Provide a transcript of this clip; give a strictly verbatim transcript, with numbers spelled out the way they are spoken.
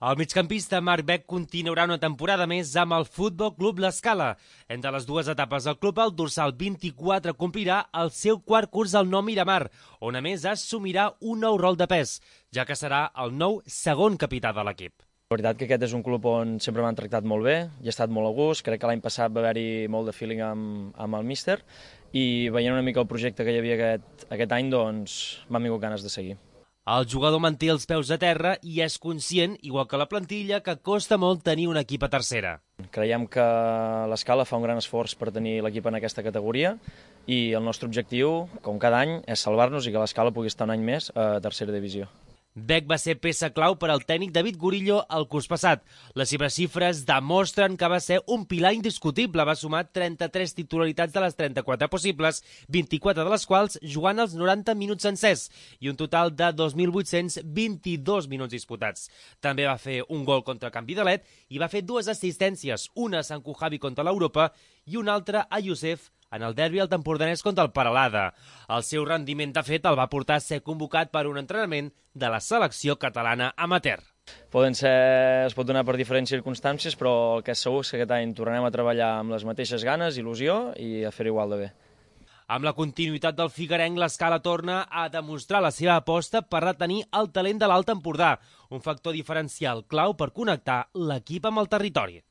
El migcampista Marc Bec continuarà una temporada més amb el Futbol Club L'Escala. Entre les dues etapes del club, el dorsal vint-i-quatre complirà el seu quart curs al Nou Miramar, on a més assumirà un nou rol de pes, ja que serà el nou segon capità de l'equip. La veritat que aquest és un club on sempre m'han tractat molt bé, hi he estat molt a gust, crec que l'any passat va haver-hi molt de feeling amb, amb el míster i veient una mica el projecte que hi havia aquest, aquest any, doncs m'han vingut ganes de seguir. El jugador manté els peus a terra i és conscient, igual que la plantilla, que costa molt tenir un equip a tercera. Creiem que l'Escala fa un gran esforç per tenir l'equip en aquesta categoria i el nostre objectiu, com cada any, és salvar-nos i que l'Escala pugui estar un any més a tercera divisió. Bec va ser peça clau per al tècnic David Gurillo el curs passat. Les seves xifres demostren que va ser un pilar indiscutible. Va sumar trenta-tres titularitats de les trenta-quatre possibles, vint-i-quatre de les quals jugant els noranta minuts sencers i un total de dos mil vuit-cents vint-i-dos minuts disputats. També va fer un gol contra Can Vidalet i va fer dues assistències, una a Sant Cujavi contra l'Europa i una altra a Youssef en el derbi al Tempordanès contra el Peralada. El seu rendiment, de fet, el va portar a ser convocat per un entrenament de la selecció catalana amateur. Poden ser, es pot donar per diferents circumstàncies, però el que és segur és que aquest any tornarem a treballar amb les mateixes ganes, il·lusió i a fer igual de bé. Amb la continuïtat del figuerenc, l'Escala torna a demostrar la seva aposta per retenir el talent de l'Alt Empordà, un factor diferencial clau per connectar l'equip amb el territori.